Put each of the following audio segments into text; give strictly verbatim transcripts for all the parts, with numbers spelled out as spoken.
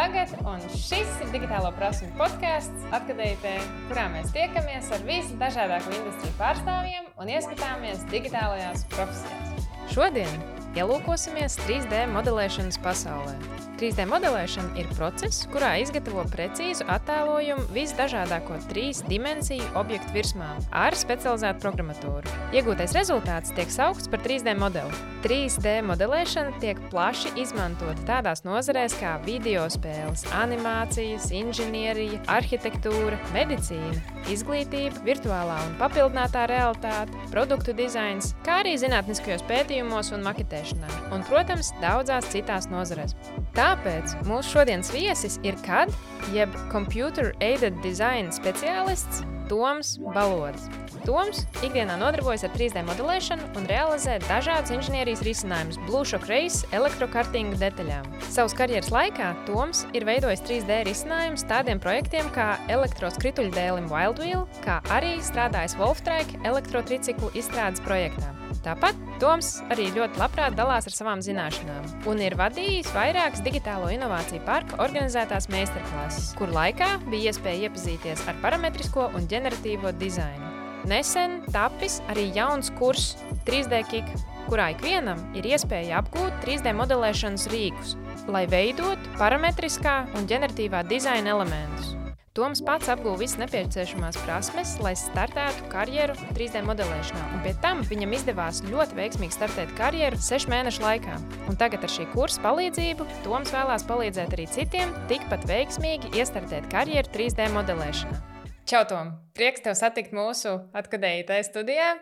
Sagat, un šis ir Digitālo prasmju podcasts Atkadējotē, kurā mēs tiekamies ar visdažādāko industriju pārstāvjiem un ieskatāmies digitālajās profesijās. Šodien ielūkosimies trīs D modelēšanas pasaulē. trīs D modelēšana ir process, kurā izgatavo precīzu attēlojumu visdažādāko trīs dimensiju objektu virsmām ar specializētu programmatūru. Iegūtais rezultāts tiek saukts par trīs D modeli. trīs D modelēšana tiek plaši izmantota tādās nozarēs kā video spēles, animācijas, inženierija, arhitektūra, medicīna, izglītība, virtuālā un papildinātā realitāte, produktu dizains, kā arī zinātniskajos pētījumos un maketēšanā, un, protams, daudzās citās nozarēs. Tāpēc mūsu šodienas viesis ir C A D, jeb Computer Aided Design speciālists Toms Balodis. Toms ikdienā nodarbojas ar trīs D modelēšanu un realizē dažādas inženierijas risinājumus Blue Shock Race elektrokartinga detaļām. Savas karjeras laikā Toms ir veidojis trīs D risinājumus tādiem projektiem kā elektroskrittuļdēlim Wildwheel, kā arī strādājis Wolftrike elektrotriciklu izstrādes projektā. Tāpat Toms arī ļoti labprāt dalās ar savām zināšanām un ir vadījis vairākas digitālo inovāciju parka organizētās meistarklases, kur laikā bija iespēja iepazīties ar parametrisko un ģeneratīvo dizainu. Nesen tapis arī jauns kurs trīs D Kik, kurā ikvienam ir iespēja apgūt trīs D modelēšanas rīkus, lai veidotu parametriskā un ģeneratīvā dizaina elementus. Toms pats apguva visas nepieciešamās prasmes, lai startētu karjeru trīs D modelēšanā, un pie tam viņam izdevās ļoti veiksmīgi startēt karjeru sešu mēnešu laikā. Un tagad ar šī kursa palīdzību Toms vēlās palīdzēt arī citiem tikpat veiksmīgi iestartēt karjeru trīs D modelēšanā. Čau, Tom! Prieks tev satikt mūsu Atkadējotē studijā.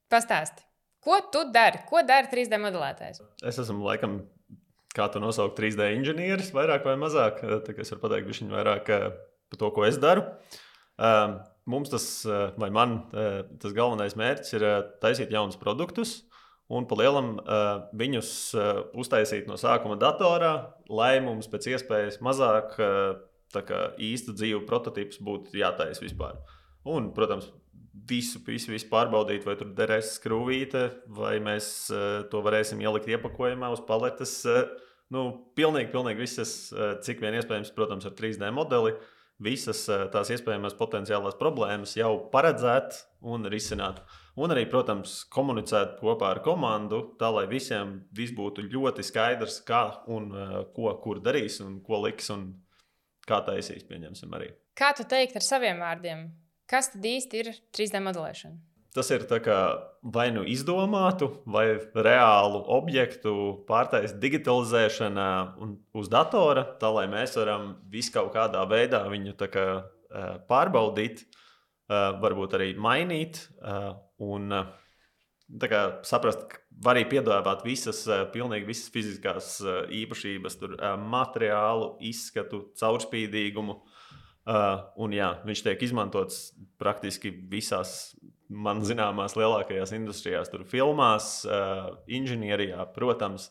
Pastāsti, ko tu dari? Ko dara trīs D modelētājs? Es esmu laikam, kā tu nosaukt, trīs D inženieris, vairāk vai mazāk. Tā kā es varu pateikt bišķiņ vairāk par to, ko es daru. Mums tas, vai man, tas galvenais mērķis ir taisīt jaunus produktus un pa lielam viņus uztaisīt no sākuma datorā, lai mums pēc iespējas mazāk tā kā īstu dzīvu prototips būtu jātais vispār. Un, protams, visu, visu, visu pārbaudīt, vai tur derēs skrūvīte, vai mēs to varēsim ielikt iepakojumā uz paletes. Nu, pilnīgi, pilnīgi visas, cik vien iespējams, protams, ar trīs D modeli, visas tās iespējamās potenciālās problēmas jau paredzēt un risināt. Un arī, protams, komunicēt kopā ar komandu, tā lai visiem viss būtu ļoti skaidrs, kā un ko, kur darīs un ko liks un kā taisīs, pieņemsim arī. Kā tu teikt ar saviem vārdiem? Kas tad īsti ir trīs D modelēšana? Tas ir tā kā vai nu izdomātu, vai reālu objektu pārtaist digitalizēšanā un uz datora, tā lai mēs varam visu kaut kādā veidā viņu tā kā pārbaudīt, varbūt arī mainīt un tā kā saprast, ka var arī piedāvāt visas, pilnīgi visas fiziskās īpašības, tur materiālu, izskatu, caurspīdīgumu. Un jā, viņš tiek izmantots praktiski visās man zināmās lielākajās industrijās, tur filmās, inženierijā, protams,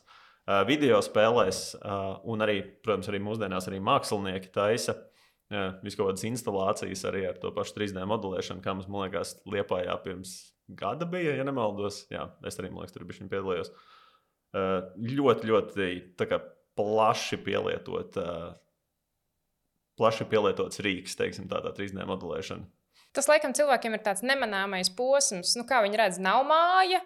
video spēlēs un arī, protams, arī mūsdienās arī mākslinieki taisa visu kaut kādas instalācijas arī ar to pašu trīs D modelēšanu, kā mums, man liekas, Liepājā pirms gada bija, ja nemaldos. Jā, es arī, man liekas, tur bišķiņ piedalījos. Ļoti, ļoti tā kā plaši pielietot, plaši pielietots rīks, teiksim, tādā trīs D modelēšana. Tas, laikam, cilvēkiem ir tāds nemanāmais posms, nu, kā viņi redz, nav māja,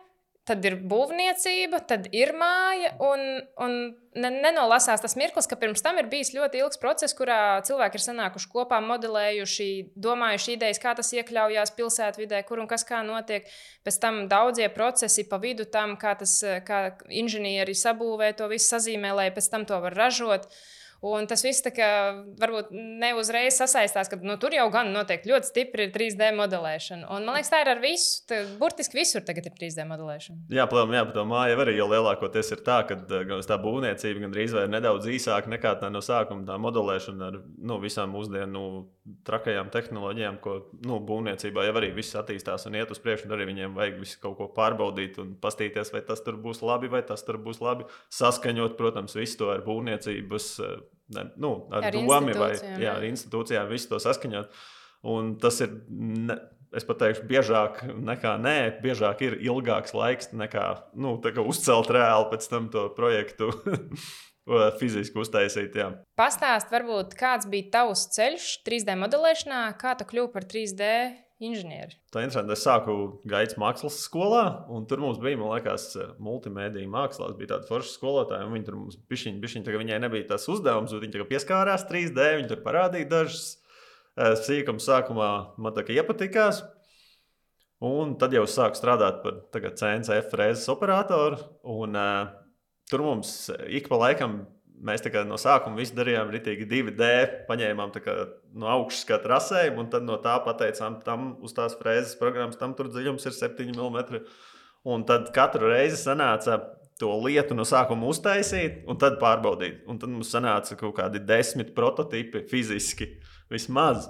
tad ir būvniecība, tad ir māja, un, un nenolasās tas mirklis, ka pirms tam ir bijis ļoti ilgs process, kurā cilvēki ir sanākuši kopā, modelējuši, domājuši idejas, kā tas iekļaujās pilsētvidē, kur un kas kā notiek. Pēc tam daudzie procesi pa vidu tam, kā, tas, kā inženieri sabūvē to visu sazīmē, lai pēc tam to var ražot. Un tas viss tā kā varbūt neuzreiz sasaistās, ka nu, tur jau gan notiek ļoti stipri trīs D modelēšana. Un man liekas, tā ir ar visu, tā, burtiski visur tagad ir trīs D modelēšana. Jā, plēm, jā, bet tā māja arī jau lielākoties ir tā, ka tā būvniecība gandrīz vai ir nedaudz īsāka nekā tā no sākuma tā modelēšana ar nu, visām mūsdienu trakajām tehnoloģijām, ko nu, būvniecībā jau arī viss attīstās un iet uz priekšu, un arī viņiem vajag visu kaut ko pārbaudīt un pastīties, vai tas tur būs labi, vai tas tur būs labi. Saskaņot, protams, visu to ar būvniecības Ne, nu, ar, ar domi vai jā, ar institūcijām visu to saskaņot. Un tas ir, ne, es pat teikšu, biežāk nekā nē, biežāk ir ilgāks laiks nekā nu, uzcelt reāli pēc tam to projektu fiziski uztaisīt. Jā. Pastāst, varbūt, kāds bija tavs ceļš trīs D modelēšanā, kā tu kļuvi par trīs D inženieri? Tā ir interesanti. Es sāku Gaitas mākslas skolā, un tur mums bija, man liekas, multimēdija mākslās bija tāda forša skolotāja, un viņi tur mums bišķiņ, bišķiņ, tā, viņai nebija tas uzdevums, bet viņi pieskārās trīs D, viņi tur parādīja dažas sīkums sākumā, man tā kā iepatikās. Un tad jau sāku strādāt par C N C F frēzes operatoru. Un, uh, tur mums ik pa laikam mēs no sākuma visu darījām ritīgi divi D. Paņēmām kā, no augšas kā trasējumu, un tad no tā pateicām, tam uz tās frēzes programmas, tam tur dziļums ir septiņi milimetri. Un tad katru reizi sanāca to lietu no sākuma uztaisīt un tad pārbaudīt. Un tad mums sanāca kaut kādi desmit prototipi fiziski vismaz.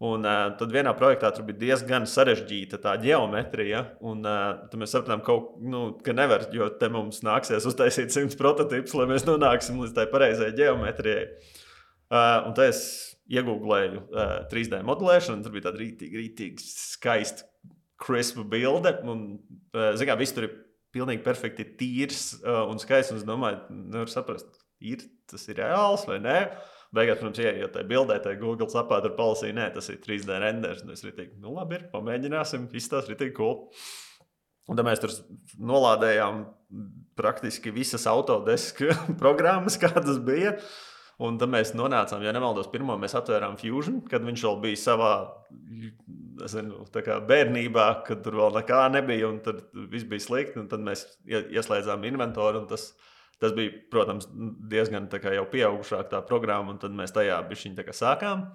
Un uh, tad vienā projektā tur bija diezgan sarežģīta tā ģeometrija, un uh, tad mēs sapratām, kaut, nu, ka nevar, jo te mums nāksies uztaisīt simts prototipus, lai mēs nonāksim līdz tai pareizai ģeometrijai. Uh, un tad es iegūglēju uh, trīs D modelēšanu, tur bija tāda rītīgi, rītīgi skaista, crispa bilde, un, uh, zin kā, viss tur ir pilnīgi perfekti tīrs uh, un skaists, un es domāju, nevar saprast, ir, tas ir reāls vai nē. Beigās, protams, ieejot tajā bildē, tajā Google sapā, tur palasīja, nē, tas ir trīs D renders. Un es ritīgi, nu labi, ir, pamēģināsim, izstās ritīgi cool. Un tad mēs tur nolādējām praktiski visas Autodesk programmas, kādas bija. Un tad mēs nonācām, ja nemaldos, pirmo mēs atvērām Fusion, kad viņš vēl bija savā zinu, tā kā bērnībā, kad tur vēl nekā nebija, un tad viss bija slikti. Un tad mēs ieslēdzām inventoru, un tas... Tas bija, protams, diezgan tā kā jau pieaugušāk tā programma, un tad mēs tajā bišķiņ tā kā sākām.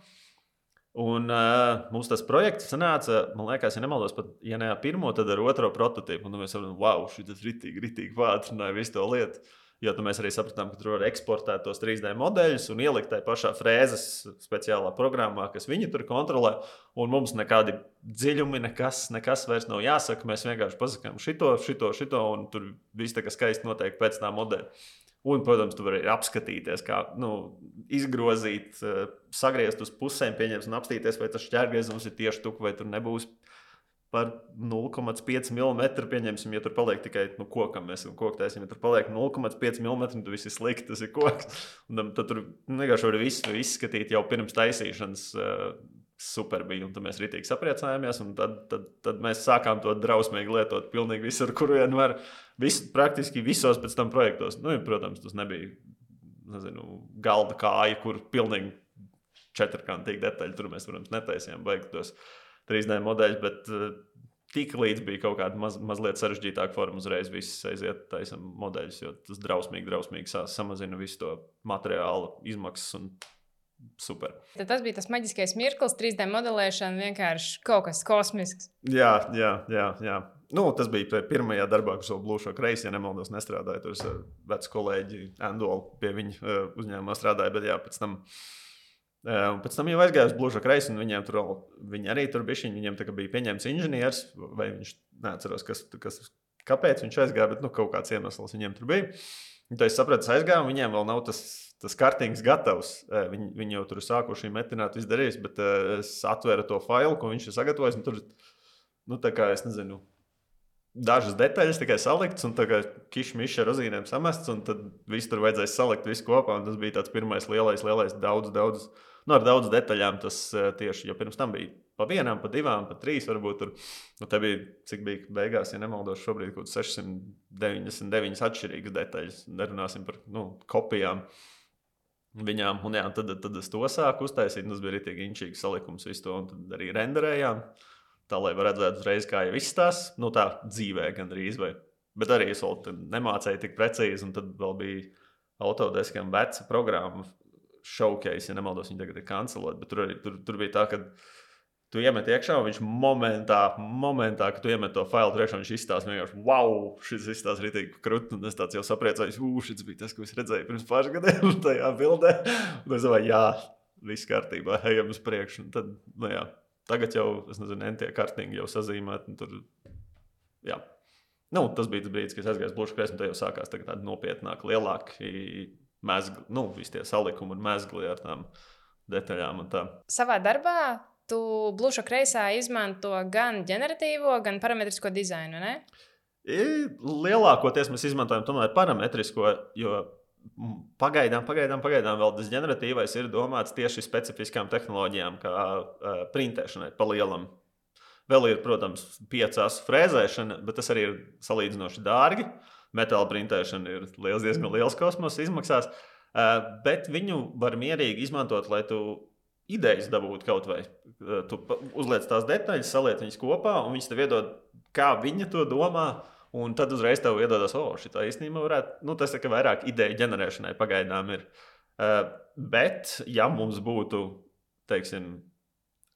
Un uh, mums tas projekts sanāca, man liekas, ja nemaldos, pat, ja ne pirmo, tad ar otro prototipu. Un tad mēs saprotam, wow, šis ritīgi, ritīgi pātrināja visu to lietu. Jo tad mēs arī sapratām, ka tur var eksportēt tos trīs D modeļus un ielikt tajā pašā frēzes speciālā programmā, kas viņi tur kontrolē. Un mums nekādi dziļumi, nekas, nekas vairs nav jāsaka. Mēs vienkārši pasakām šito, šito, šito, un tur viss tā kā skaisti notiek pēc tā modeļa. Un, protams, tu vari apskatīties, kā nu, izgrozīt, sagriezt uz pusēm, pieņems un apstīties, vai tas šķērgriezums ir tieši tuk, vai tur nebūs par nulle komats pieci milimetri, pieņemsim, ja tur paliek tikai nu, kokam, mēs koktēsim, ja tur paliek nulle komats pieci milimetri, tad viss ir slikti, tas ir koks. Un tad tur vienkārši var visu izskatīt jau pirms taisīšanas uh, super bija, un tad mēs ritīgi sapriecājāmies, un tad, tad, tad mēs sākām to drausmīgi lietot pilnīgi visur, kur vien var, vis, praktiski visos pēc tam projektos. Nu, ja, protams, tas nebija, nezinu, galda kāja, kur pilnīgi četrkantīgi detaļi, tur mēs, protams, netaisījām beigtos trīs D modeļus, bet uh, tik līdz bija kaut kāda maz, mazliet sarežģītāka forma, uzreiz viss aiziet taisam modeļus, jo tas drausmīgi, drausmīgi samazina visu to materiālu izmaksas un super. Tad tas bija tas maģiskais mirklis, trīs D modelēšana, vienkārši kaut kas kosmisks. Jā, jā, jā, jā. Nu, tas bija pirmajā darbā, kas vēl Blue Shock Race, ja nemaldos, nestrādāja. Tur es ar vecu kolēģi Andolu pie viņa uh, uzņēmumā strādāja, bet jā, pēc tam Uh, un pēc tam jau aizgāju uz Blue Shock Race, un viņiem tur, viņi arī tur bišķiņ, viņiem tā kā bija pieņemts inženieris, vai viņš, neatceros, kas, kas, kāpēc viņš aizgāja, bet nu, kaut kāds iemesls viņiem tur bija. Un tad es sapratu, es aizgāju, un viņiem vēl nav tas, tas kartings gatavs. Uh, viņi, viņi jau tur sākuši metināt izdarījis, bet uh, es atvēru to failu, ko viņš ir sagatavojis, un tur, nu tā kā, es nezinu, dažas detaļas tikai salikts, un tā kā kišmiši ar rozīnēm samests, un tad visu tur vajadzēs salikt visu kopā, un tas bija tāds pirmais lielais, lielais, daudz, daudz, nu ar daudz detaļām tas tieši, jo pirms tam bija pa vienām, pa divām, pa trīs varbūt tur, nu te bija, cik bija beigās, ja nemaldos šobrīd kaut sešsimt deviņdesmit deviņas atšķirīgas detaļas, nerunāsim par, nu, kopijām viņām, un jā, tad, tad es to sāku uztaisīt, un tas bija ritīgi inčīgs salikums visu to, un tad arī renderējām. Tā, lai var redzēt uzreiz, kā jau izstās, nu tā dzīvē gandrīz, vai. Bet arī es vēl nemācēju tik precīzi, un tad vēl bija Autodeskam veca programma Showcase, ja nemaldos, viņi tagad ir kancelot, bet tur, arī, tur, tur bija tā, ka tu iemet iekšā, un viņš momentā, momentā, kad tu iemet to failu priekšā, viņš izstās vienkārši, wow, šis izstās ritīgi krut, un es tāds jau sapriecājos, ū, šis bija tas, ko es redzēju pirms pāris gadiem tajā bildē, un es domāju, jā, viss kārtībā, ejam uz priekšu, un tad, nu jā. Tagad jau, es nezinu, entie kartingi jau sazīmēt, un tur, jā. Nu, tas bija tas brīdis, kad es aizgāju uz Blue Shock Race, un tad jau sākās tagad tādi nopietnāk, lielāki mezgli, nu, visi tie salikumi un mezgli ar tām detaļām un tā. Savā darbā tu Blue Shock Race'ā izmanto gan ģeneratīvo, gan parametrisko dizainu, ne? I, lielākoties mēs izmantojam tomēr parametrisko, jo pagaidām, pagaidām, pagaidām vēl tas ģeneratīvais ir domāts tieši specifiskām tehnoloģijām, kā uh, printēšanai pa lielam. Vēl ir, protams, piecās frēzēšana, bet tas arī ir salīdzinoši dārgi. Metāla printēšana ir liels, diezgan liels kosmosa izmaksās, uh, bet viņu var mierīgi izmantot, lai tu idejas dabūtu kaut vai. Uh, tu uzliec tās detaļas, saliec viņas kopā, un viņas tev iedod, kā viņa to domā. Un tad uzreiz tev iedodas, o, oh, šitā īstenībā varētu, nu, tas ir vairāk ideju ģenerēšanai pagaidām ir. Uh, bet, ja mums būtu, teiksim,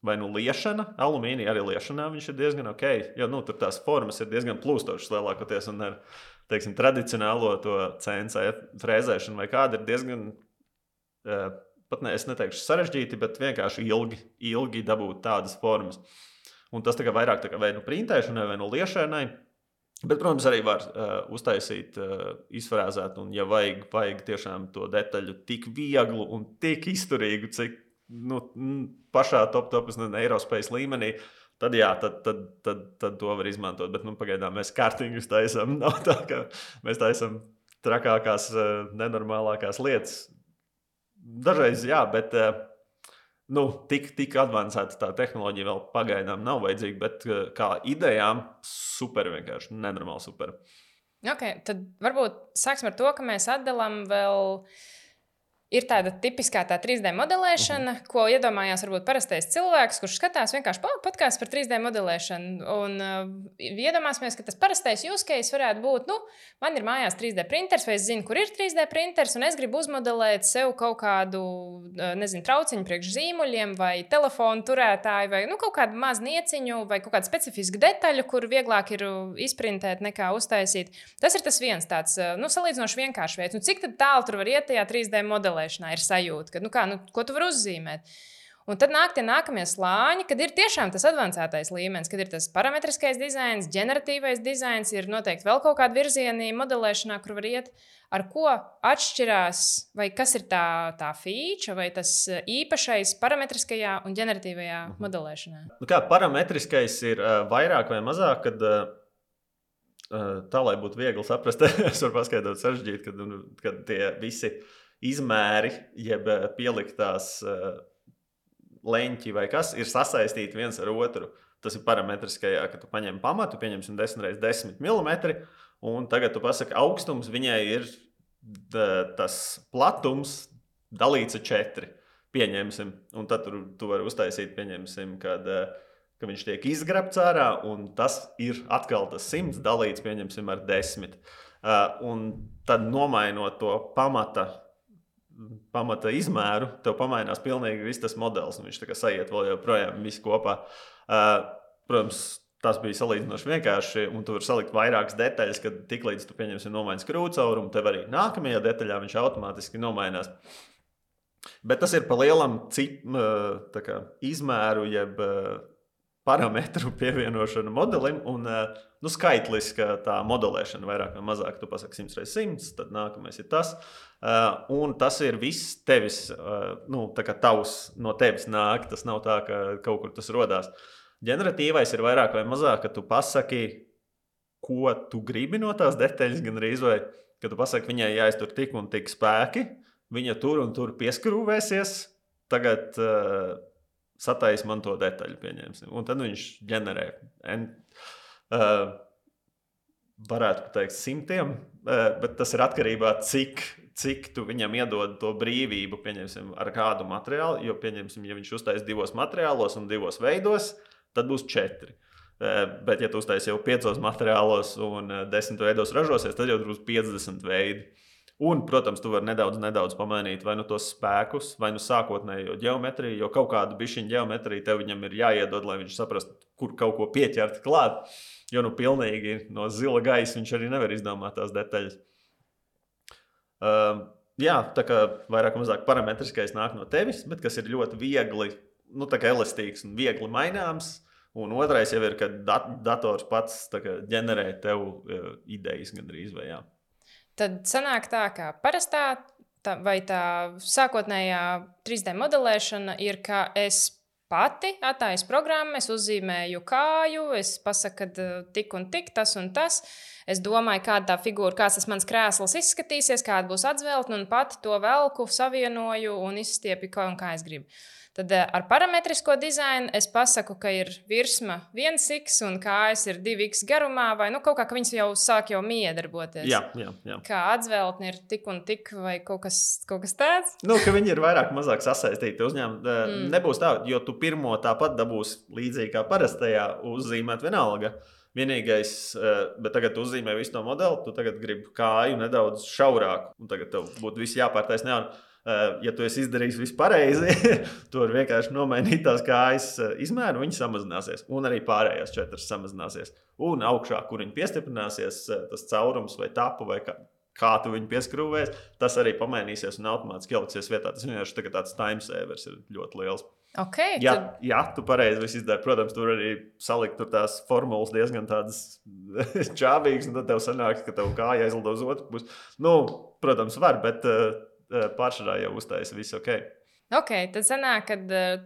vai nu liešana, alumīnija arī liešanā, viņš ir diezgan ok, jo, nu, tur tās formas ir diezgan plūstošas lielākoties, un ar, teiksim, tradicionālo to C N C frēzēšanu vai kāda ir diezgan, uh, pat ne, es neteikšu sarežģīti, bet vienkārši ilgi, ilgi dabūt tādas formas. Un tas tā kā vairāk tā kā vai nu printēšanai, vai nu liešanai. Bet, protams, arī var uh, uztaisīt, uh, izfrēzēt, un, ja vajag, vajag tiešām to detaļu tik vieglu un tik izturīgu, cik nu, pašā top, top, es nezinu, Aerospace līmenī, tad jā, tad, tad, tad, tad to var izmantot. Bet, nu, pagaidām mēs kārtīgus taisam, nav tā, ka mēs taisam trakākās, uh, nenormālākās lietas. Dažreiz jā, bet uh, nu, tik, tik advancēta tā tehnoloģija vēl pagaidām nav vajadzīga, bet uh, kā idejām super vienkārši, nenormāli super. Ok, tad varbūt sāksim ar to, ka mēs atdalām vēl... Ir tāda tipiskā tā trīs D modelēšana, uh-huh. ko iedomājās varbūt parastais cilvēks, kurš skatās vienkārši podkāstu par trīs D modelēšanu. Un uh, iedomāsimies, ka tas parastais use case varētu būt, nu, man ir mājās trīs D printers, vai es zinu, kur ir trīs D printers, un es gribu uzmodelēt sev kaut kādu, uh, nezinu, trauciņu priekš zīmuļiem, vai telefonu turētāju, vai nu, kaut kādu mazu nieciņu, vai kaut kādu specifisku detaļu, kur vieglāk ir izprintēt nekā uztaisīt. Tas ir tas viens tāds, uh, nu, salīdzinoši vienkāršs veids. Nu, cik tad tālu tur var iet tajā trīs D modelē? Ir sajūta, ka, nu kā, nu, ko tu vari uzzīmēt. Un tad nāk tie nākamie slāņi, kad ir tiešām tas advancētais līmenis, kad ir tas parametriskais dizains, ģeneratīvais dizains, ir noteikti vēl kaut kāda virzienī modelēšanā, kur var iet, ar ko atšķirās, vai kas ir tā, tā feature, vai tas īpašais parametriskajā un ģeneratīvajā mhm. modelēšanā. Nu kā, parametriskais ir uh, vairāk vai mazāk, kad... Uh... Tā, lai būtu viegli saprast, es varu paskaidrot sarežģīt, kad, kad tie visi izmēri, jeb pieliktās uh, leņķi vai kas, ir sasaistīti viens ar otru. Tas ir parametriskajā, ka tu paņem pamatu, pieņemsim desmit reiz desmit milimetri, un tagad tu pasaki augstums, viņai ir d, tas platums dalīts ar četri, pieņemsim. Un tad tu, tu vari uztaisīt, pieņemsim, kad... Uh, ka viņš tiek izgrabts ārā, un tas ir atkal tas simts dalīts, pieņemsim, ar desmit. Uh, un tad nomainot to pamata, pamata izmēru, tev pamainās pilnīgi viss tas modelis, un viņš tā kā sajiet vēl joprojām visi kopā. Uh, protams, tas bija salīdzinoši vienkārši, un tu vari salikt vairākas detaļas, kad tiklīdz tu, pieņemsim, nomaini skrūcaurumu, tev arī nākamajā detaļā viņš automātiski nomainās. Bet tas ir pa lielam cip, uh, tā kā izmēru, jeb uh, parametru pievienošanu modelim un nu, skaitliska tā modelēšana vairāk vai mazāk. Tu pasaki simts reiz simts, tad nākamais ir tas. Un tas ir viss tevis, nu, tā kā tavs no tevis nāk, tas nav tā, ka kaut kur tas rodās. Ģeneratīvais ir vairāk vai mazāk, ka tu pasaki, ko tu gribi no tās detaļas, gan arī izvai, ka tu pasaki, viņai jāiztur tik un tik spēki, viņa tur un tur pieskrūvēsies, tagad... Uh, satais man to detaļu, pieņemsim. Un tad viņš ģenerē, en, uh, varētu pateikt, simtiem, uh, bet tas ir atkarībā, cik, cik tu viņam iedod to brīvību, pieņemsim, ar kādu materiālu, jo, pieņemsim, ja viņš uztais divos materiālos un divos veidos, tad būs četri. Uh, bet, ja tu uztais jau piecos materiālos un uh, desmit veidos ražosies, tad jau būs piecdesmit veidi. Un, protams, tu vari nedaudz, nedaudz pamainīt vai nu tos spēkus, vai nu sākotnējo ģeometriju, jo kaut kādu bišķiņu ģeometriju tev viņam ir jāiedod, lai viņš saprastu, kur kaut ko pieķert klāt. Jo nu pilnīgi no zila gaisa viņš arī nevar izdomāt tās detaļas. Uh, jā, tā kā vairāk un mazāk parametriskais nāk no tevis, bet kas ir ļoti viegli, nu tā kā elastīgs un viegli maināms. Un otrais jau ir, ka dat- dators pats tā kā ģenerē tev uh, idejas gandrīz vai jā. Tad sanāk tā, ka parastā tā, vai tā sākotnējā trīs D modelēšana ir, ka es pati attaisu programmu, es uzzīmēju kāju, es pasaku, ka tik un tik, tas un tas. Es domāju, kāda tā figūra, kāds tas mans krēsls izskatīsies, kāda būs atzveltne, un pati to velku, savienoju un izstiepju, kā, kā es gribu. Tad ar parametrisko dizainu es pasaku, ka ir virsma viens iks un kājas ir divi iks garumā, vai nu, kaut kā, ka viņas jau sāk jau miedarboties. Jā, jā, jā. Kā atzveltne ir tik un tik, vai kaut kas, kaut kas tāds? Nu, ka viņi ir vairāk mazāk sasaistīti uzņēmumi. Mm. Nebūs tā, jo tu pirmo tāpat dabūs līdzīgi kā parastajā uzzīmēt vienalga. Vienīgais, bet tagad tu uzzīmē visu no modeli, tu tagad gribi kāju nedaudz šaurāku, un tagad tev būtu viss jāpārtaisnē. Ja tu esi izdarījis visu pareizi, tu vari vienkārši nomainīt tās kājas izmēru, viņi samazināsies. Un arī pārējās četras samazināsies. Un augšā, kur viņi piestiprināsies, tas caurums vai tapu vai kā, kā tu viņu pieskrūvēs, tas arī pamainīsies un automātiski ieliksies vietā. Tas vienkārši tagad tāds timesavers ir ļoti liels. Okay, ja, tad... ja tu pareizi visu izdari, protams, tur arī salikt tur tās formulas diezgan tādas čābīgas, un tad tev sanāks, ka tev kāja aizlido uz otru pusi. Nu, protams, var, bet pāršarā jau uztaisa viss ok. Ok, tad sanāk, kad uh,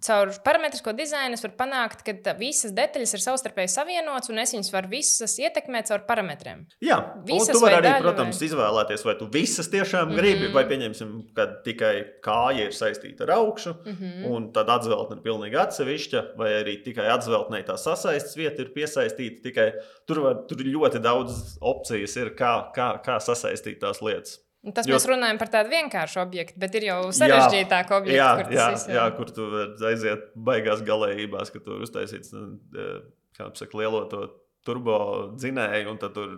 caur parametrisko dizainu es varu panākt, ka visas detaļas ir savstarpēji savienotas un es viņas varu visas ietekmēt caur parametriem. Jā, visas un tu vari arī, daļu, protams, vai... izvēlēties, vai tu visas tiešām mm-hmm. gribi, vai pieņemsim, ka tikai kāja ir saistīta ar augšu, mm-hmm. un tad atzveltne ir pilnīgi atsevišķa, vai arī tikai atzveltnei tā sasaistes vieta ir piesaistīta, tikai tur, var, tur ļoti daudz opcijas ir, kā, kā, kā sasaistīt tās lietas. Tas jo... mēs runājam par tādu vienkāršu objektu, bet ir jau sarežģītāku objektu, jā, kur tas jā, viss jā, kur tu aiziet baigās galējībās, ka tur uztaisīts, kā saka, lielo to turbo dzinēju, un tad tur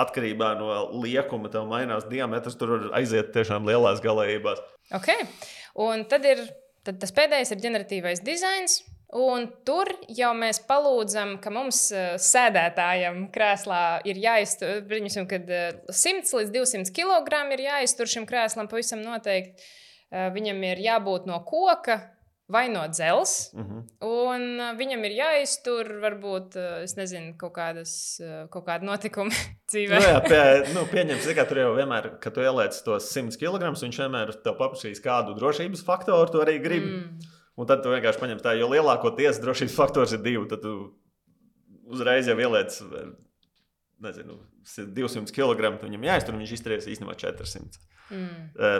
atkarībā no liekuma tev mainās diametrs, tur var aiziet tiešām lielās galējībās. Ok, un tad ir, tad tas pēdējais ir ģeneratīvais dizains. Un tur jau mēs palūdzam, ka mums sēdētājam krēslā ir jāiztur, viņam, kad simts līdz divsimt kilogramu ir jāiztur šim krēslam pavisam noteikti. Viņam ir jābūt no koka vai no dzels, uh-huh. un viņam ir jāiztur varbūt, es nezinu, kaut kādas, kaut kādi notikumi dzīvē. Nu jā, pie, nu, pieņems, ka tur jau vienmēr, kad tu ieliec tos simts kilogramus, viņš vienmēr tev paprasīs kādu drošības faktoru, tu arī gribi. Mm. Un tad tu vienkārši paņem tā, jo lielākoties drošības faktors ir divi. Tad tu uzreiz jau ieliec, nezinu, divsimt kilogramu, viņam jāiztur, un viņš izturēs īstenībā četri simti. Mm. Uh,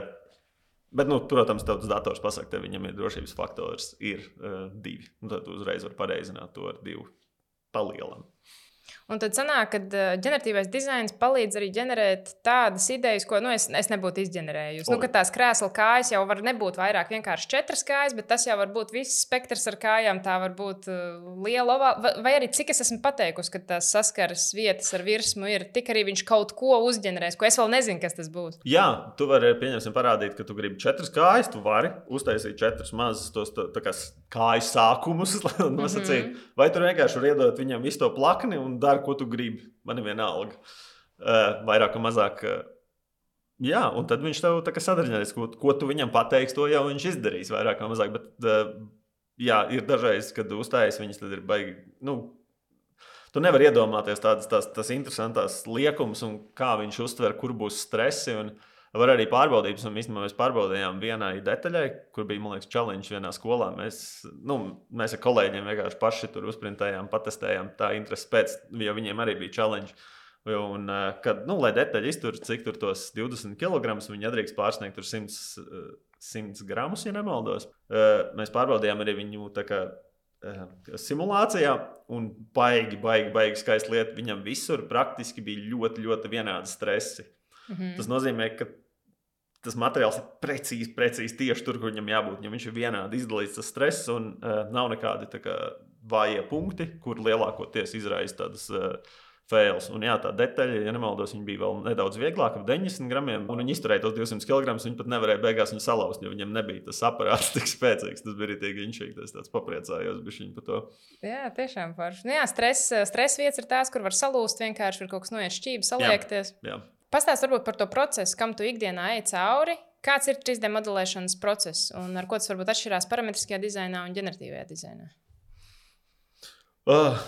bet, nu, protams, tev tas dators pasaka, ka viņam ir drošības faktors ir uh, divi. Un tad tu uzreiz var pareizināt to ar divu palielam. Un tad sanāk, ka ģeneratīvais dizains palīdz arī ģenerēt tādas idejas, ko nu, es, es nebūtu izģenerējusi. Nu, ka tās krēsla kājas jau var nebūt vairāk vienkārši četras kājas, bet tas jau var būt viss spektrs ar kājām. Tā var būt uh, liela ovāla. Vai arī cik es esmu pateikusi, ka tās saskaras vietas ar virsmu ir, tik arī viņš kaut ko uzģenerēs, ko es vēl nezinu, kas tas būs. Jā, tu vari, pieņemsim, parādīt, ka tu gribi četras kājas, tu vari uztaisīt četras mazas tos tā, tā kā kāju sākumus, nosacīt. Mm-hmm. Vai tu vienkārši vari iedot viņam visu to plakni un dari, ko tu gribi. Man ir vienalga. Uh, vairāk un mazāk. Uh, jā, un tad viņš tev tā kā sadarņēs, ko, ko tu viņam pateiksi, to jau viņš izdarīs vairāk un mazāk. Bet, uh, jā, ir dažreiz, kad uzstājas viņas, tad ir baigi, nu, tu nevar iedomāties tādas tās, tās interesantās liekumus un kā viņš uztver, kur būs stresi. Un var arī pārbaudības, un īstenībā mēs pārbaudījām vienai detaļai, kur bija, man liekas, challenge vienā skolā. Mēs, nu, mēs ar kolēģiem vienkārši paši tur uzprintējām, patestējām tā interesi pēc, jo viņiem arī bija challenge. Un, kad, nu, lai detaļi iztur, cik tur tos divdesmit kilogramus, viņi atdrīkst pārsniegt tur simt gramus, ja nemaldos. Mēs pārbaudījām arī viņu tā kā simulācijā, un baigi, baigi, baigi skaista lieta. Viņam visur praktiski bija ļoti, ļoti vienādi stresi. Mm-hmm. Tas nozīmē, ka tas materiāls ir precīzi, precīzi tieši tur, kur viņam jābūt. Ja viņš ir vienādi izdalīts tas stress un uh, nav nekādi tā kā vājie punkti, kur lielākoties izraisa tādas uh, fails. Un jā, tā detaļa, ja nemaldos, viņa bija vēl nedaudz vieglāka, ap deviņdesmit gramiem, un viņi izturēja tos divsimt kilogramus, viņi pat nevarēja beigās viņu salauzt, jo viņam nebija tas aparāts tik spēcīgs. Tas bija ritīgi inšīgi, tas tāds papriecājos bišķiņ par to. Jā, tiešām forši. Nu jā, stress, stress vietas ir tās, kur var salūst, vienkārši var kaut kas noiet šķīvi, saliekties. Jā, jā. Pastāst varbūt par to procesu, kam tu ikdienā ej cauri. Kāds ir trīs D modelēšanas process un ar ko tas varbūt atšķirās parametriskajā dizainā un ģeneratīvajā dizainā? Uh,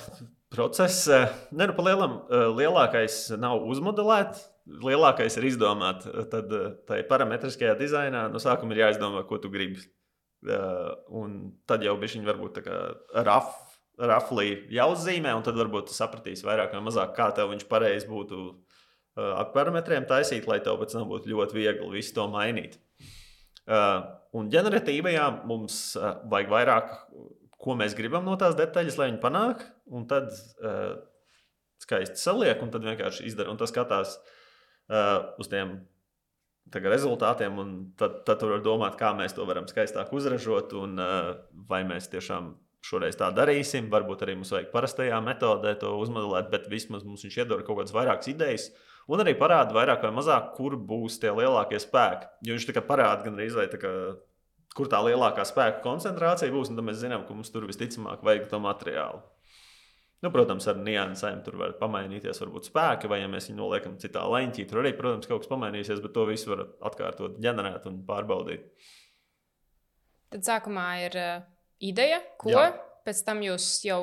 process, ne, nu, pa lielam, lielākais nav uzmodelēt, lielākais ir izdomāt. Tad tai parametriskajā dizainā no sākuma ir jāizdomā, ko tu gribi. Uh, un tad jau bišķiņ varbūt tā kā raf raflī jāuzzīmē, un tad varbūt tu sapratīsi vairāk vai mazāk, kā tev viņš pareizi būtu uh, ar parametriem taisīt, lai tev pēc tam būtu ļoti viegli visu to mainīt. Uh, un ģeneratīvajā mums uh, vajag vairāk, ko mēs gribam no tās detaļas, lai viņi panāk, un tad uh, skaisti saliek, un tad vienkārši izdara, un tas skatās uh, uz tiem tagad rezultātiem, un tad, tad tur var domāt, kā mēs to varam skaistāk uzražot, un uh, vai mēs tiešām šoreiz tā darīsim. Varbūt arī mums vajag parastajā metodē to uzmodelēt, bet vismaz mums viņš iedod kaut kādas vairākas idejas, un arī parāda vairāk vai mazāk, kur būs tie lielākie spēki. Jo viņš tā kā parāda gan arī, vai tā kā, kur tā lielākā spēka koncentrācija būs, un tad mēs zinām, ka mums tur visticamāk vajag to materiālu. Nu, protams, ar niansēm tur var pamainīties varbūt spēki, vai ja mēs viņu noliekam citā leņķī, tur arī, protams, kaut kas pamainīsies, bet to visu var atkārtot, ģenerēt un pārbaudīt. Tad sākumā ir uh, ideja, ko, Jā. Pēc tam jūs jau,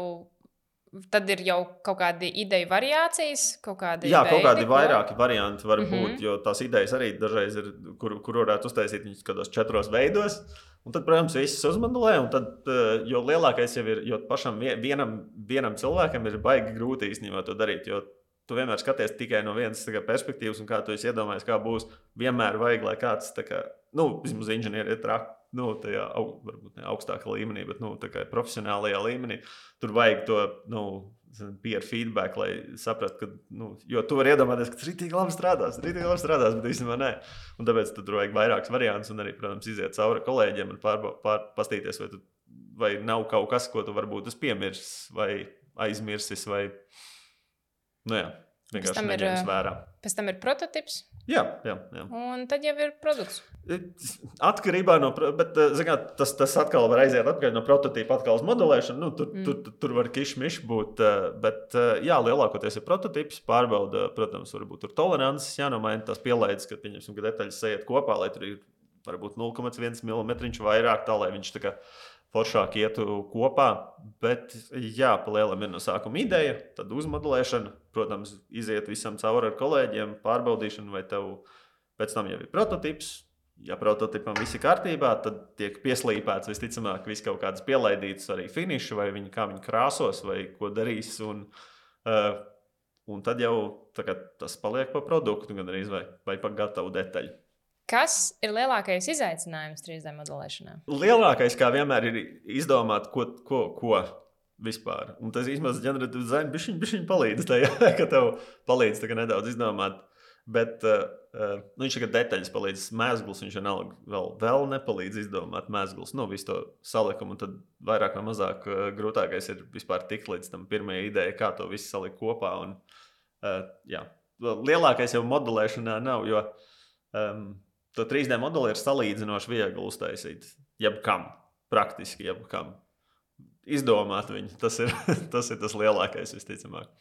tad ir jau kaut kādi ideju variācijas, kaut kādi Jā, veidi, kaut kādi ko? vairāki varianti var Mm-hmm. būt, jo tās idejas arī dažreiz ir, kur, kur varētu uztaisīt viņus kādos četros veidos. Un tad, protams, viss uzmodelē, un tad, jo lielākais jau ir, jo pašam vienam, vienam cilvēkam ir baigi grūti īstenībā to darīt, jo tu vienmēr skaties tikai no vienas kā, perspektīvas, un kā tu esi iedomājies, kā būs, vienmēr vajag, lai kāds, tā kā, nu, vismaz inženieri ir traki, nu, tajā, varbūt ne augstākā līmenī, bet, nu, tā kā profesionālajā līmenī, tur vajag to, nu, peer feedback, lai saprastu, ka, nu, jo tu vari iedomāties, ka tas rītīgi labi strādās, rītīgi labi strādās, bet īstenībā nē. Un tāpēc tur vajag vairākas variantus un arī, protams, iziet cauri kolēģiem un pārba, pār, pastīties, vai, tu, vai nav kaut kas, ko tu varbūt esi piemirsis vai aizmirsis vai, nu jā, vienkārši neņems vērā. Pēc tam ir prototips. Jā, jā, jā. Un tad jau ir produkts. Atkarībā no, bet zin, tas, tas atkal var aiziet atpakaļ no prototīpa atkal uz modelēšanu. Nu, tur, mm. tur, tur, tur var kišmiš būt, bet jā, lielākoties ir prototips, pārbauda, protams, varbūt tur tolerances jānomaina tās pielaides, kad, pieņemsim, ka detaļas sajiet kopā, lai tur ir varbūt nulle komats viens milimetriņš vairāk, tā lai viņš tā kā foršāk ietu kopā, bet jā, pa lielam ir no sākuma ideja, tad uzmodelēšana, protams, iziet visam cauri ar kolēģiem, pārbaudīšana, vai tev pēc tam jau ir prototips. Ja prototipam viss ir kārtībā, tad tiek pieslīpēts visticamāk viss kaut kādas pielaidītas arī finiši, vai viņi, kā viņi krāsos, vai ko darīs, un, uh, un tad jau kā, tas paliek pa produktu, gan arī vai, vai pa gatavu detaļu. Kas ir lielākais izaicinājums trīs D modelēšanā? Lielākais, kā vienmēr, ir izdomāt, ko, ko, ko vispār. Un tas īstenībā ģeneratīvs dizains bišķiņ, bišķiņ palīdz tajā, ka tev palīdz tā, nedaudz izdomāt. Bet uh, nu, viņš tagad detaļas palīdz mēzgls, viņš vienalga vēl, vēl nepalīdz izdomāt mēzgls. Nu, visu to salikumu, un tad vairāk vai mazāk uh, grūtākais ir vispār tikt līdz tam pirmajai idejai, kā to visu salikt kopā. Un, uh, jā, lielākais jau modelēšanā nav, jo um, to trīs D modeli ir salīdzinoši viegli uztaisīt. Jebkam, praktiski jebkam. Izdomāt viņu, tas ir tas, ir tas lielākais visticamāk.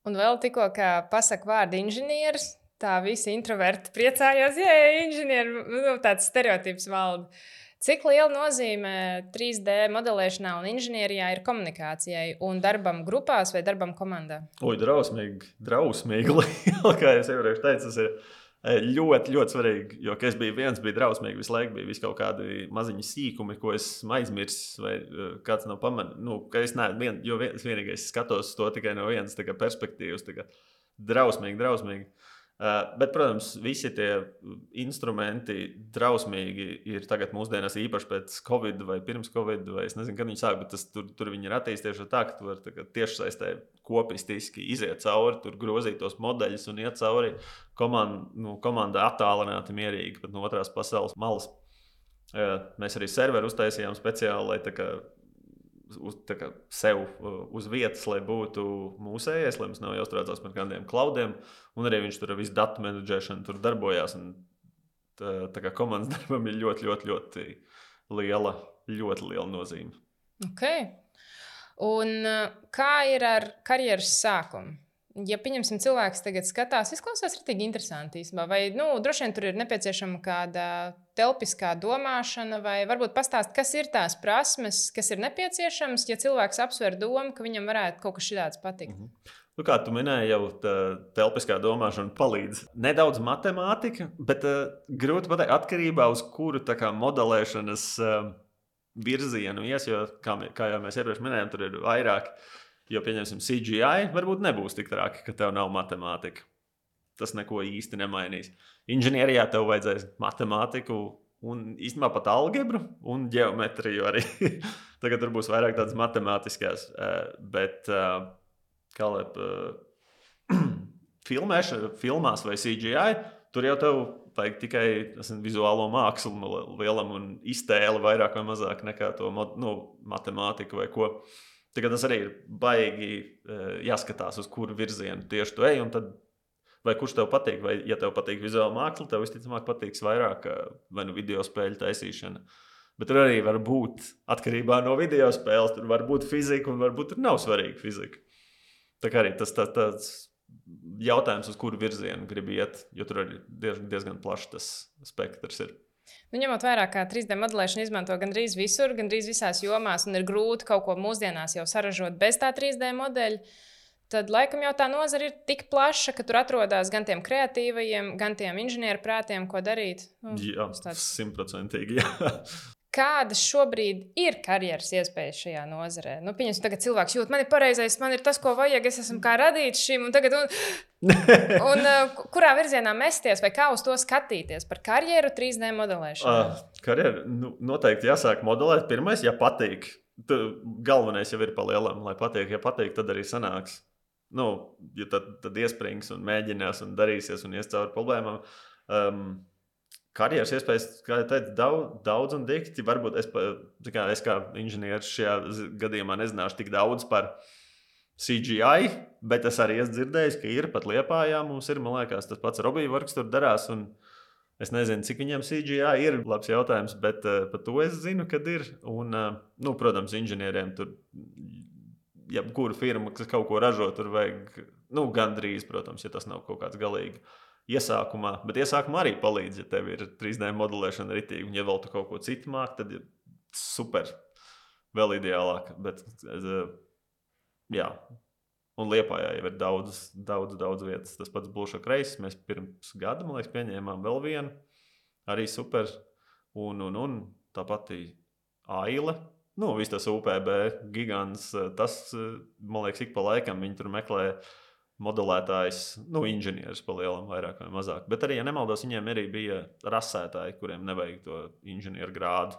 Un vēl tikko, kā pasaka vārdu inženieris, tā visi introverti priecājās, jā, inženieri, nu, tāds stereotips valda. Cik liela nozīme trīs D modelēšanā un inženierijā ir komunikācijai un darbam grupās vai darbam komandā? Oi, drausmīgi, drausmīgi liela, kā es iepriekš teicu, tas ir ļoti, ļoti svarīgi, jo, ka es biju viens, bija drausmīgi, visu laiku bija vis kaut kādi maziņi sīkumi, ko es aizmirsis, vai kāds nav pamanījis, nu, ka es neesmu, vien, jo vien, es vienīgais skatos to tikai no vienas tā kā perspektīvas, tā kā drausmīgi, drausmīgi. Uh, bet, protams, visi tie instrumenti drausmīgi ir tagad mūsdienās īpaši pēc Covid vai pirms Covid, vai es nezinu, kad viņi sāk, bet tas, tur, tur viņi ir attīstījuši tā, ka tu vari tiešsaistē kopistiski iziet cauri, tur grozīt tos modeļus un iet cauri komanda, nu, komanda attālināti mierīgi, pat no otrās pasaules malas. Uh, mēs arī serveru uztaisījām speciāli, lai tā kā Uz, kā, sev uz vietas, lai būtu mūsējais, lai mums nav jāuztraucās par kādiem klaudiem, un arī viņš tur ar visu datu menedžēšanu tur darbojās, un tā, tā kā komandas darbam ir ļoti, ļoti, ļoti liela, ļoti liela nozīme. Ok. Un kā ir ar karjeras sākumu? Ja, pieņemsim, cilvēks tagad skatās, izklausās ritīgi interesanti īstenībā, vai, nu, droši vien tur ir nepieciešama kāda telpiskā domāšana, vai varbūt pastāst, kas ir tās prasmes, kas ir nepieciešamas, ja cilvēks apsver domu, ka viņam varētu kaut kas šāds patikt. Mm-hmm. Nu, kā tu minēji, jau tā telpiskā domāšana palīdz. Nedaudz matemātika, bet uh, grūti pateikt, atkarībā uz kuru tā kā modelēšanas uh, virzienu ies, jo, kā, mē, kā jau mēs iepriekš minējām, tur ir vairāk, jo, pieņemsim, C G I varbūt nebūs tik traki, ka tev nav matemātika. Tas neko īsti nemainīs. Inženierijā tev vajadzēs matemātiku un īstenībā pat algebru un ģeometriju arī. Tagad tur būs vairāk tādas matemātiskās, bet kā lai filmēšana, filmās vai C G I, tur jau tev vajag tikai esmu, vizuālo mākslu lielam un iztēli vairāk vai mazāk nekā to nu, matemātiku vai ko. Tagad tas arī ir baigi jāskatās, uz kuru virzienu tieši tu ej, un tad vai kurš tev patīk, vai ja tev patīk vizuāla māksla, tev visticamāk patiks vairāk vai nu video spēļu taisīšana. Bet tur arī var būt atkarībā no video spēles, tur var būt fizika un varbūt tur nav svarīga fizika. Tā kā arī tas tā, tāds jautājums, uz kuru virzienu grib iet, jo tur arī diezgan, diezgan plašs tas spektrs ir. Nu, ņemot vērā, kā trīs D modelēšanu izmanto gandrīz visur, gandrīz visās jomās, un ir grūti kaut ko mūsdienās jau saražot bez tā trīs D modeļa, tad laikam jau tā nozara ir tik plaša, ka tur atrodas gan tiem kreatīvajiem, gan tiem inženieru prātiem, ko darīt. Nu, jā, simtprocentīgi, jā. Kādas šobrīd ir karjeras iespējas šajā nozarē? Nu, pieņemsim, tagad cilvēks jūt, man ir pareizais, man ir tas, ko vajag, es esmu kā radīts šim, un tagad, un, un kurā virzienā mesties, vai kā uz to skatīties par karjeru trīs D modelēšanā? Uh, karjeru nu, noteikti jāsāk modelēt pirmais, ja patīk. Tu, galvenais jau ir pa lielam, lai patīk, ja patīk, tad arī sanāks. Nu, ja tad, tad iesprings un mēģinās un darīsies un ies cauri problēmām. Um, Karjeras iespējas, kā jau teicu, daudz, daudz un dikti. Varbūt es, kā, es kā inženieris šajā gadījumā nezināšu tik daudz par C G I, bet es arī esmu dzirdējis, ka ir pat Liepājā. Mums ir, man liekas, tas pats Robijvorks tur darās. Un es nezinu, cik viņam C G I ir, labs jautājums, bet uh, par to es zinu, kad ir. Un, uh, nu, protams, inženieriem tur, jebkura firma, kas kaut ko ražo, tur vajag, nu, gandrīz, protams, ja tas nav kaut kāds galīgi. Iesākumā, bet iesākumā arī palīdz, ja tev ir trīs D modelēšana ritīgi, un ja vēl tu kaut ko citu māk, tad ir super, vēl ideālāk, bet, jā, un Liepājā jau ir daudz, daudz, daudz vietas, tas pats Blušak Reiss, mēs pirms gada, man liekas, pieņēmām vēl vienu, arī super, un, un, un, tāpat Aile, nu, viss tas U P B gigants, tas, man liekas, ik pa laikam viņi tur meklē modelētājs, nu, inženieris pa lielam vairāk vai mazāk. Bet arī, ja nemaldos, viņiem arī bija rasētāji, kuriem nevajag to inženieru grādu.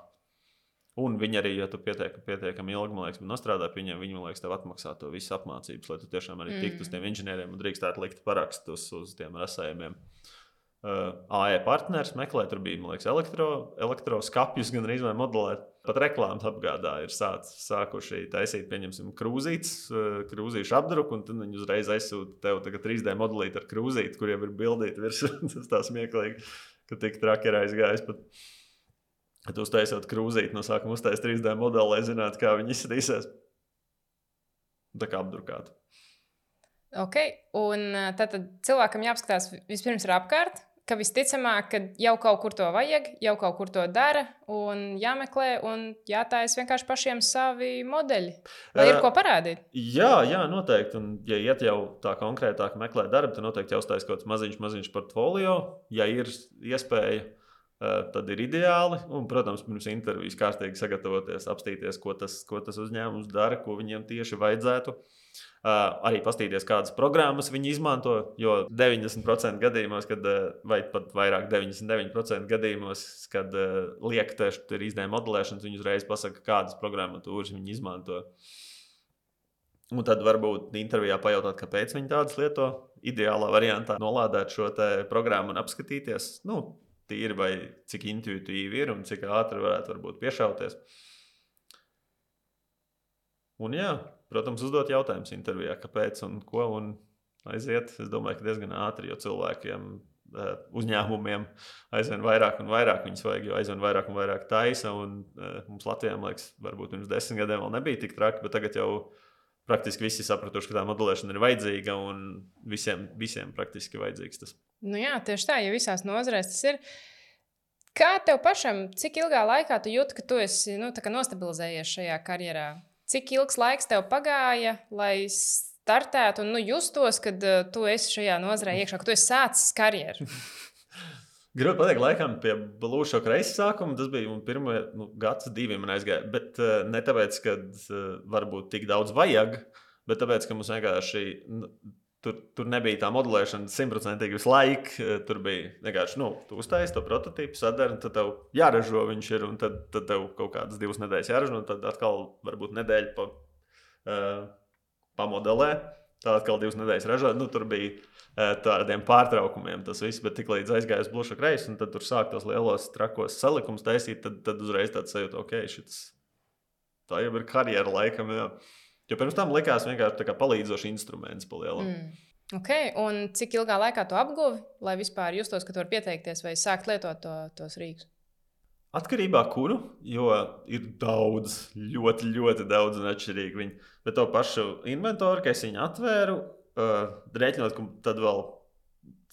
Un viņi arī, ja tu pietiekami pietiekam ilgi, man liekas, nostrādā pie viņiem, viņi, man liekas, tev atmaksā to visu apmācības, lai tu tiešām arī tiktu uz tiem inženieriem un drīkstētu likt parakstus uz tiem rasējumiem. Uh, A E partners meklē, tur bija, man liekas, elektro, elektroskapjus gan arī izvēl modelēt. Pat reklāmas apgādā ir sāc, sākuši taisīt, pieņemsim, krūzītes, uh, krūzīšu apdruku, un tad viņi uzreiz aizsūta tev tagad trīs D modelīt ar krūzīti, kur jau ir bildīti virsū. Tas tā smieklīgi, ka tik traki ir aizgājis. Pat, kad uztaisot krūzīti, no sākuma uztais trīs D modeli, lai zinātu, kā viņi izskatīsies. Tā kā apdrukātu. Ok, un tad cilvēkam jāapskatās vispirms ir apkārt, ka visticamāk, ka jau kaut kur to vajag, jau kaut kur to dara, un jāmeklē, un jātājas vienkārši pašiem savi modeļi, lai ir ko parādīt. Jā, jā, noteikti, un ja iet jau tā konkrētāk meklēt darbu, tad noteikti jāuztais kaut kāds maziņš, maziņš portfolio, ja ir iespēja, tad ir ideāli, un, protams, pirms intervijas kārtīgi sagatavoties, apstīties, ko tas, ko tas uzņēmums dara, ko viņiem tieši vajadzētu. Uh, arī pastīties, kādas programmas viņi izmanto, jo deviņdesmit procenti gadījumos, kad, vai pat vairāk deviņdesmit deviņi procenti gadījumos, kad uh, liek tieši trīs D modelēšanas, viņi uzreiz pasaka, kādas programmatūras viņi izmanto. Un tad varbūt intervijā pajautāt, kāpēc viņi tādas lieto. Ideālā variantā nolādēt šo te programmu un apskatīties, nu, tīri vai cik intuitīvi ir un cik ātri varētu varbūt piešauties. Un jā, protams, uzdot jautājumus intervijā, kāpēc un ko, un aiziet. Es domāju, ka diezgan ātri, jo cilvēkiem, uzņēmumiem aizvien vairāk un vairāk viņus vajag, jo aizvien vairāk un vairāk taisa, un mums Latvijā, man liekas, varbūt pirms desmit gadiem vēl nebija tik traki, bet tagad jau praktiski visi sapratuši, ka tā modelēšana ir vajadzīga, un visiem, visiem praktiski vajadzīgs tas. Nu jā, tieši tā, ja visās nozarēs tas ir. Kā tev pašam, cik ilgā laikā tu jūti, ka tu esi, nu, tā kā nostabilizējies šajā karjerā? Cik ilgs laiks tev pagāja, lai startētu un nu, justos, kad uh, tu esi šajā nozarē iekšā, ka tu esi sācis karjeru? Grūti pateikt, laikam, pie Blūšo kreisa sākuma tas bija pirmie nu, gads, divi man aizgāja. Bet uh, ne tāpēc, ka uh, varbūt tik daudz vajag, bet tāpēc, ka mums vienkārši nu, tur, tur nebija tā modelēšana simtprocentīgi visu laiku. Tur bija vienkārši, nu, tu uztaisi to prototīpu, sadari, un tad tev jāražo viņš ir, un tad, tad tev kaut kādas divas nedēļas jāražo, un tad atkal varbūt nedēļa pa, uh, pamodelē. Tā atkal divas nedēļas ražot. Nu, tur bija tādiem pārtraukumiem tas viss, bet tik līdz aizgāja uz Blūša kreisu, un tad tur sāk tos lielos trakos salikumus taisīt, tad, tad uzreiz tāds sajūta, ok, šits, tā jau ir karjera laikam, jā. Jo pirms tam likās vienkārši tā kā palīdzošs instruments pa lielam. Mm. Ok, un cik ilgā laikā tu apguvi, lai vispār justos, ka tu vari pieteikties vai sākt lietot to, tos rīkus? Atkarībā kuru, jo ir daudz, ļoti, ļoti daudz un atšķirīgi viņi. Bet to pašu inventoru, ka es viņu atvēru, Uh, rēķinot, ka tad vēl,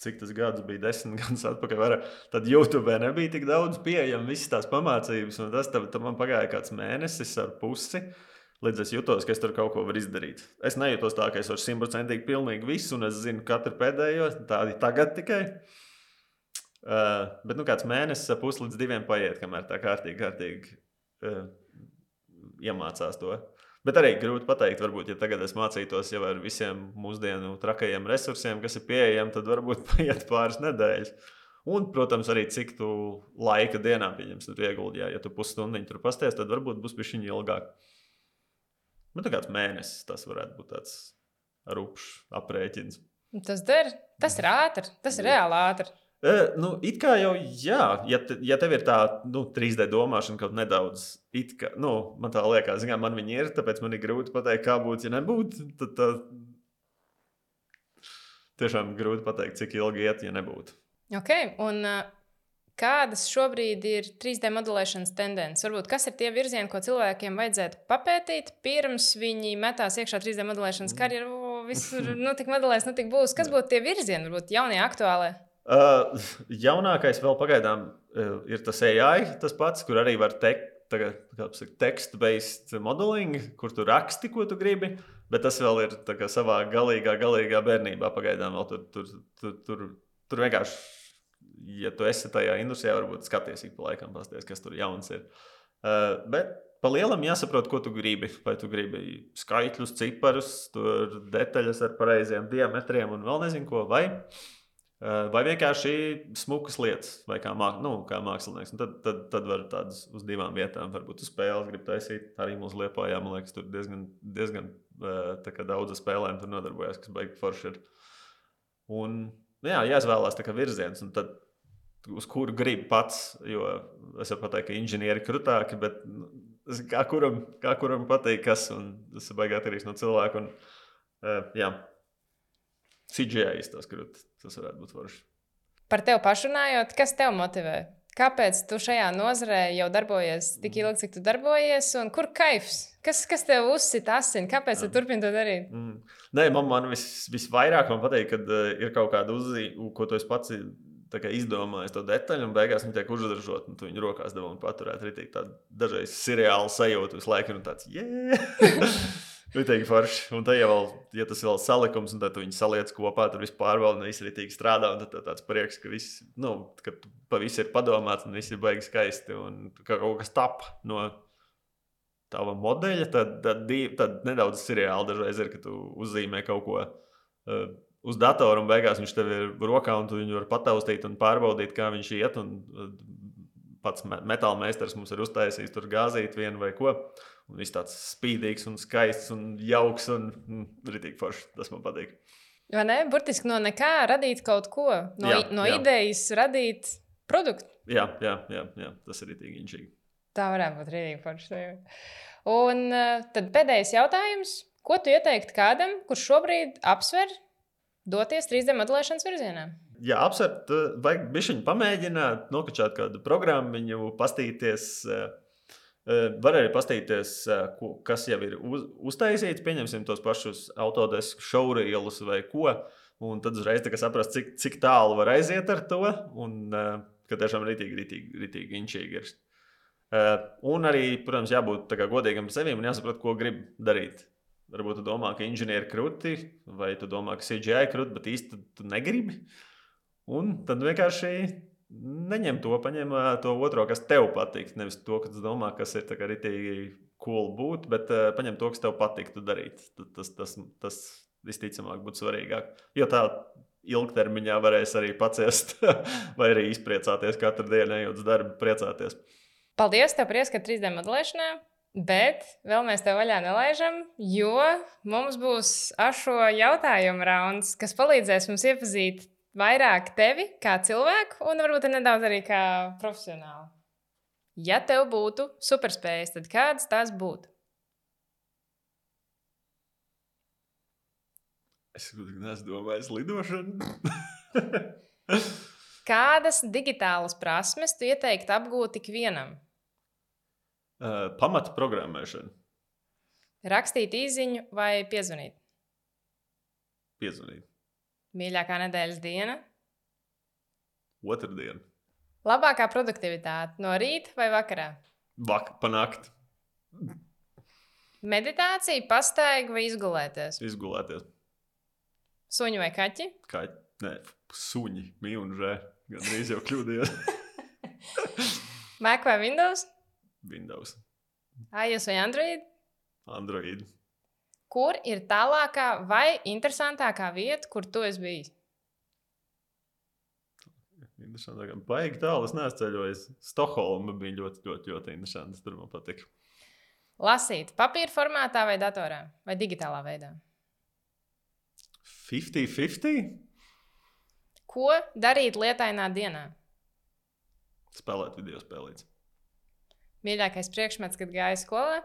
cik tas gads bija, desmit gadus atpakaļ, vairāk, tad YouTube nebija tik daudz pieejama visas tās pamācības, un tas tad, tad man pagāja kāds mēnesis ar pusi, līdz es jutos, ka es tur kaut ko varu izdarīt. Es nejūtos tā, ka es varu simtprocentīgi pilnīgi visu, un es zinu katru pēdējo, tādi tagad tikai. Uh, bet nu kāds mēnesis ar pusi līdz diviem paiet, kamēr tā kārtīgi, kārtīgi uh, iemācās to. Bet arī grūti pateikt, varbūt, ja tagad es mācītos jau ar visiem mūsdienu trakajiem resursiem, kas ir pieejami, tad varbūt paiet pāris nedēļas. Un, protams, arī cik tu laika dienā pieņems, tu ieguldi, ja, ja tu pusstundiņu tur pasties, tad varbūt būs bišķiņi ilgāk. Bet kāds mēnesis tas varētu būt tāds rupšs aprēķins. Tas der, tas ir ātri, tas ir reāli ātri. Uh, nu, it kā jau, jā, ja, te, ja tev ir tā nu, trīs D domāšana kaut nedaudz, it kā, nu, man tā liekas, zinām, man viņi ir, tāpēc man ir grūti pateikt, kā būtu, ja nebūtu, tad tā, tiešām grūti pateikt, cik ilgi iet, ja nebūtu. Ok, un uh, kādas šobrīd ir trīs D modelēšanas tendences? Varbūt, kas ir tie virzieni, ko cilvēkiem vajadzētu papētīt, pirms viņi metās iekšā trīs D modelēšanas karjeru, visur, nu, tik modelēs, nu, tik būs. Kas būtu tie virzieni, varbūt jaunie, aktuālie? Uh, jaunākais vēl pagaidām uh, ir tas A I, tas pats, kur arī var teikt, text-based modeling, kur tu raksti, ko tu gribi, bet tas vēl ir kā, savā galīgā, galīgā bērnībā pagaidām vēl tur, tur, tur, tur, tur vienkārši, ja tu esi tajā industrijā, varbūt skaties ik pa laikam pasties, kas tur jauns ir. Uh, bet pa lielam jāsaprot, ko tu gribi. Vai tu gribi skaitļus, ciparus, tur detaļas ar pareiziem diametriem un vēl nezinu ko, vai... Vai vienkārši smukas lietas, vai kā, māk, nu, kā mākslinieks. Un tad, tad, tad var tādas uz divām vietām, varbūt uz spēles grib taisīt. Arī mūsu Liepājā, man liekas, tur diezgan, diezgan tā kā daudz spēlēm tur nodarbojas, kas baigi forši ir. Un, jā, jāizvēlās tā kā virziens, un tad uz kuru grib pats, jo es jau pateiktu, ka inženieri ir krutāki, bet kā kuram, kā kuram patīk kas, un tas ir baigi atkarīgs no cilvēka. Un, jā. C G I tas krūt, tas varētu būt forši. Par tevi pašu runājot, kas tev motivē? Kāpēc tu šajā nozarē jau darbojies tik ilgi, cik tu darbojies, un kur kaifs? Kas, kas tev uzsita asini? Kāpēc tu turpini to darīt? Mm. Nē, man, man vis, visvairāk man patīk, kad uh, ir kaut kāda uzzīme, ko tu esi pats izdomājis to detaļu, un beigās viņi tiek uzražot, un tu viņu rokās dabū un paturēt. Arī tāda dažreiz seriāla sajūta visu laiku, un tāds, yeah! Ritīgi forši. Un tad, ja, vēl, ja tas vēl salikums, un tad tu viņu saliec kopā, tad viss pārbauda, un viss ritīgi strādā, un tad tāds prieks, ka viss, nu, ka pa viss ir padomāts, un viss ir baigi skaisti, un ka kaut kas tap no tava modeļa, tad, tad, tad nedaudz seriāli dažreiz ir, ka tu uzzīmē kaut ko uh, uz datoru, un beigās viņš tev ir rokā, un tu viņu var pataustīt un pārbaudīt, kā viņš iet, un uh, pats metāla meistars mums ir uztaisījis tur gāzīt vienu vai ko. Un viss tāds spīdīgs un skaists un jauks un mm, ritīgi forši. Tas man patīk. Vai ne? Burtiski no nekā radīt kaut ko. No, jā, no jā. idejas radīt produktu. Jā, jā, jā, jā. Tas ir ritīgi inčīgi. Tā varētu būt ritīgi forši. Un uh, tad pēdējais jautājums. Ko tu ieteiktu kādam, kurš šobrīd apsver doties trīs D modelēšanas virzienā? Jā, apsvert, vajag bišķiņu pamēģināt, nokačāt kādu programmiņu, pastīties... Var arī pastīties, kas jau ir uz, uztaisīts, pieņemsim tos pašus Autodesk showreelus vai ko, un tad uzreiz tā kā saprast, cik, cik tālu var aiziet ar to, un ka tiešām ritīgi, ritīgi, ritīgi inčīgi ir. Un arī, protams, jābūt tā kā godīgam sevim un jāsaprot, ko grib darīt. Varbūt tu domā, ka inženieri kruti, vai tu domā, ka C G I kruti, bet īsti tu negribi. Un tad vienkārši neņem to, paņem to otro, kas tev patīk. Nevis to, kas domā, kas ir tā kā ritīgi cool būt, bet uh, paņem to, kas tev patiktu darīt. Tas, tas, tas visticamāk būtu svarīgāk. Jo tā ilgtermiņā varēs arī paciest vai arī izpriecāties katru dienu, ejot uz darbu, priecāties. Paldies tev par ieskatu trīs D modelēšanā, bet vēl mēs tev vaļā nelaižam, jo mums būs ašo jautājumu rauns, kas palīdzēs mums iepazīt vairāk tevi kā cilvēku un varbūt nedaudz arī kā profesionāli. Ja tev būtu superspējas, tad kādas tās būtu? Es neesmu domājis lidošanu. Kādas digitālas prasmes tu ieteiktu apgūt ikvienam? Uh, pamata programmēšana. Rakstīt īziņu vai piezvanīt? Piezvanīt. Mīļākā nedēļas diena? Otrdiena. Labākā produktivitāte no rīta vai vakarā? Vak, pa nakti. Meditācija, pastaiga vai izgulēties? Izgulēties. Suņi vai kaķi? Kaķi. Nē, suņi. Mīnžē. Gan drīz jau kļūdījos. Mac vai Windows? Windows. iOS vai Android? Android. Kur ir tālākā vai interesantākā vieta, kur tu esi bijis? Interesantākā. Baigi tālu es neesmu ceļojis. Stokholma bija ļoti, ļoti, ļoti interesanti. Tur man patika. Lasīt papīra formātā vai datorā? Vai digitālā veidā? fifty fifty? Ko darīt lietainā dienā? Spēlēt video spēlītes. Mīļākais priekšmets, kad gāja skolā?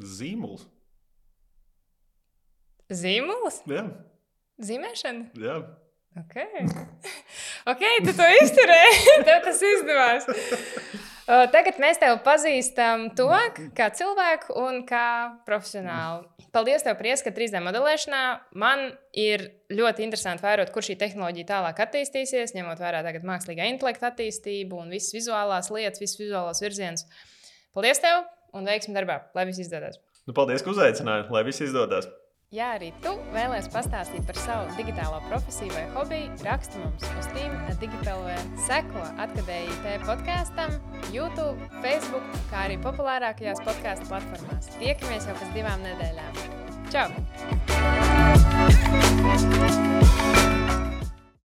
Zīmuls. Zīmuls? Jā. Zīmēšana? Jā. Ok. Ok, tu to izturēji. Tev tas izdevās. Uh, tagad mēs tevi pazīstam to kā cilvēku un kā profesionālu. Paldies tev par ieskatu trīs D modelēšanā. Man ir ļoti interesanti vērot, kur šī tehnoloģija tālāk attīstīsies, ņemot vērā tagad mākslīgā intelekta attīstību un visas vizuālās lietas, visas vizuālās virzienus. Paldies tev un veiksmi darbā, lai viss izdodas. Nu, paldies, ka uzaicināji, lai viss izdodas. Ja arī tu vēlies pastāstīt par savu digitālo profesiju vai hobiju, raksti mums uz team at digipelv. Seko Atkadēji I T podkastam, YouTube, Facebook, kā arī populārākajās podcastu platformās. Tiekamies jau pēc divām nedēļām. Čau!